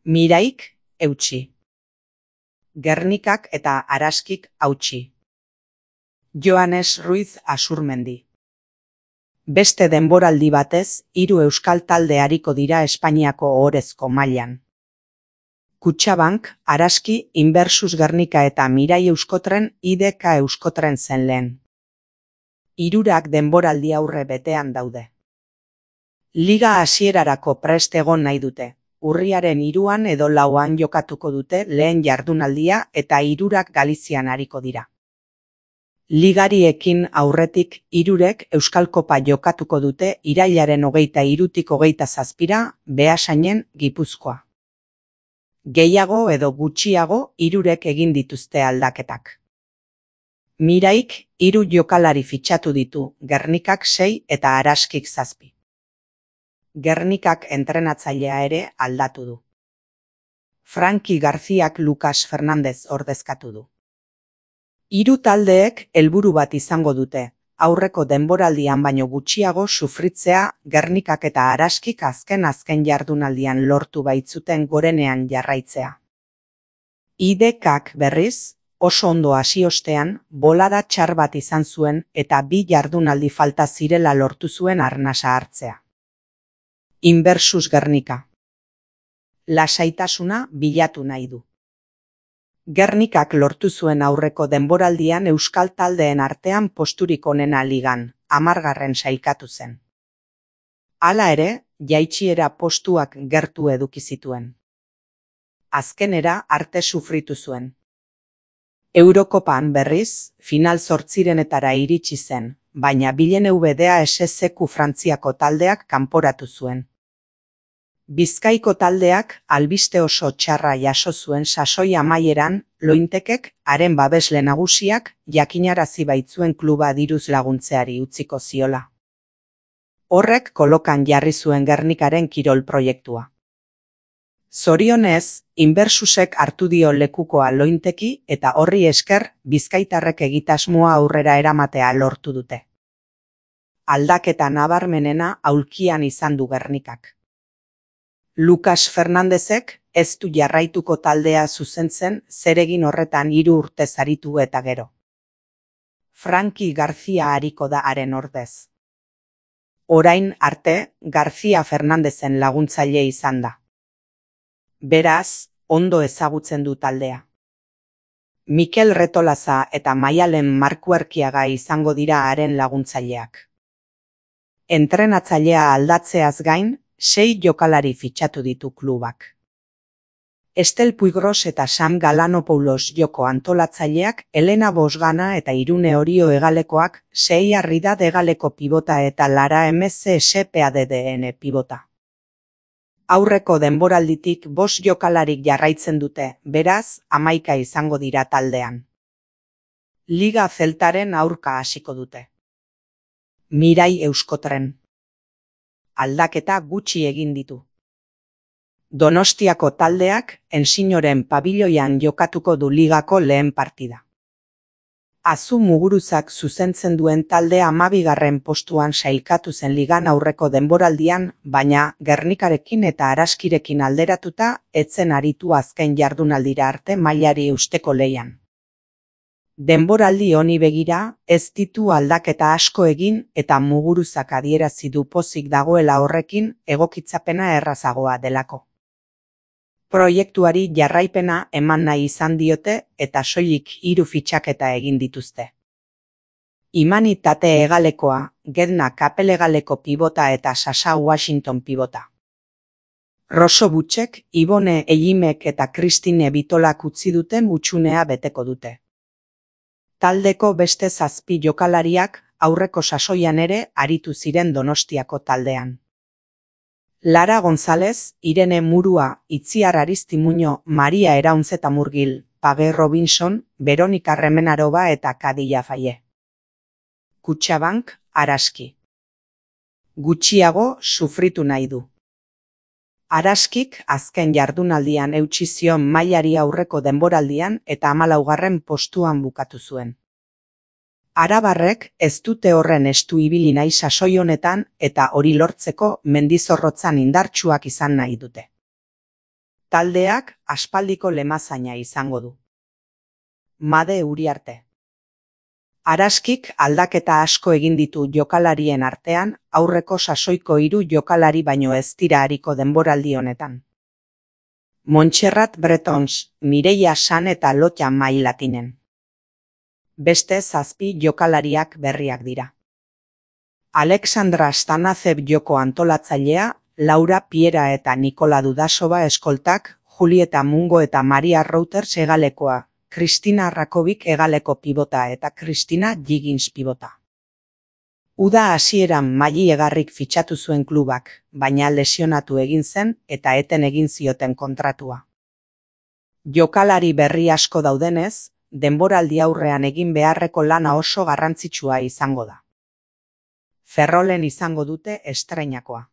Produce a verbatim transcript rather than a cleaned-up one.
Miraik eutsi. Gernikak eta Araskik hautsi. Joanes Ruiz Asurmendi. Beste denboraldi batez, hiru euskal talde ariko dira Espainiako ohorezko mailan. Kutxabank, Araski, Inversus Gernika eta Mirai Euskotren I D K Euskotren zen lehen. Hirurak denboraldi aurre betean daude. Liga hasierarako prest egon nahi dute. Urriaren hiruan edo lauan jokatuko dute lehen jardunaldia eta hirurak Galizian ariko dira. Ligariekin aurretik hirurek Euskal Kopa jokatuko dute irailaren hogeita hirutik hogeita zazpira Beasainen, Gipuzkoa. Gehiago edo gutxiago hirurek egin dituzte aldaketak. Miraik hiru jokalari fitxatu ditu, Gernikak sei eta Araskik zazpi. Gernikak entrenatzailea ere aldatu du. Franki Garziak Lucas Fernandez ordezkatu du. Hiru taldeek helburu bat izango dute, aurreko denboraldian baino gutxiago sufritzea Gernikak eta Araskik azken azken jardunaldian lortu baitzuten gorenean jarraitzea. I D Kak berriz, oso ondo hasi ostean, bolada txar bat izan zuen eta bi jardunaldi falta zirela lortu zuen arnasa hartzea. Inversus Gernika. Lasaitasuna bilatu nahi du. Gernikak lortu zuen aurreko denboraldian euskal taldeen artean posturik onena ligan, hamargarren sailkatu zen. Hala ere, jaitsiera postuak gertu eduki zituen. Azkenera arte sufritu zuen. Eurokopan berriz, final zortzirenetara iritsi zen, baina Bilen U B D A S Z Frantziako taldeak kanporatu zuen. Bizkaiko taldeak albiste oso txarra jaso zuen sasoi amaieran, Lointekek, haren babesle nagusiak, jakinarazi baitzuen kluba diruz laguntzeari utziko ziola. Horrek kolokan jarri zuen Gernikaren kirol proiektua. Zorionez, Inversusek hartu dio lekukoa Lointeki eta horri esker bizkaitarrek egitasmoa aurrera eramatea lortu dute. Aldaketa nabarmenena aulkian izan du Gernikak. Lucas Fernandezek ez du jarraituko taldea zuzentzen zeregin horretan hiru urte aritu eta gero. Franki Garzia ariko da haren ordez. Orain arte, Garzia Fernandezen laguntzaile izan da. Beraz, ondo ezagutzen du taldea. Mikel Retolaza eta Maialen Markuerkiaga izango dira haren laguntzaileak. Entrenatzailea aldatzeaz gain, sei jokalari fitxatu ditu klubak. Estel Puigros eta Sam Galanopoulos joko antolatzaileak, Elena Bosgana eta Irune Orio hegalekoak, sei Arrida hegaleko pibota eta Lara M C S P A D D N pibota. Aurreko denboralditik bost jokalarik jarraitzen dute, beraz, hamaika izango dira taldean. Liga Zeltaren aurka hasiko dute. Mirai Euskotren. Aldaketa gutxi egin ditu. Donostiako taldeak Ensinoren pabiloian jokatuko du ligako lehen partida. Azu Muguruzak zuzentzen duen taldea hamabigarren postuan sailkatu zen ligan aurreko denboraldian, baina Gernikarekin eta Araskirekin alderatuta etzen aritu azken jardunaldira arte mailari eusteko lehian. Denboraldi honi begira, ez ditu aldaketa asko egin eta Muguruzak adierazi du pozik dagoela horrekin egokitzapena errazagoa delako. Proiektuari jarraipena eman nahi izan diote eta soilik hiru fitxaketa egin dituzte. Imani Tate hegalekoa, Gedna Kapel hegaleko pibota eta Sasa Washington pibota. Roso Butxek, Ibone Egimek eta Kristine Bitolak utzi duten utxunea beteko dute. Taldeko beste zazpi jokalariak aurreko sasoian ere aritu ziren Donostiako taldean. Lara González, Irene Murua, Itziar Aristimuño, Maria Eraunzeta Murgil, Page Robinson, Veronika Remenaroba eta Kadilla Faye. Kutxabank, Araski. Gutxiago sufritu nahi du. Araskik azken jardunaldian eutsi zion mailari aurreko denboraldian eta hamalaugarren postuan bukatu zuen. Arabarrek ez dute horren estu ibili nahi sasoi honetan eta hori lortzeko mendizorrotzan indartsuak izan nahi dute. Taldeak aspaldiko lemazaina izango du. Made Uriarte. Araskik aldaketa asko egin ditu jokalarien artean, aurreko sasoiko hiru jokalari baino ez dira ariko denboraldi honetan. Montserrat Bretons, Mireia San eta Lotja Mailatinen. Beste zazpi jokalariak berriak dira. Alexandra Stanazev joko antolatzailea, Laura Piera eta Nikola Dudasova eskoltak, Julieta Mungo eta Maria Reuters hegalekoa, Kristina Rakovic hegaleko pibota eta Kristina Giggins pibota. Uda hasieran Maili Egarrik fitxatu zuen klubak, baina lesionatu egin zen eta eten egin zioten kontratua. Jokalari berri asko daudenez, denboraldi aurrean egin beharreko lana oso garrantzitsua izango da. Ferrolen izango dute estreinakoa.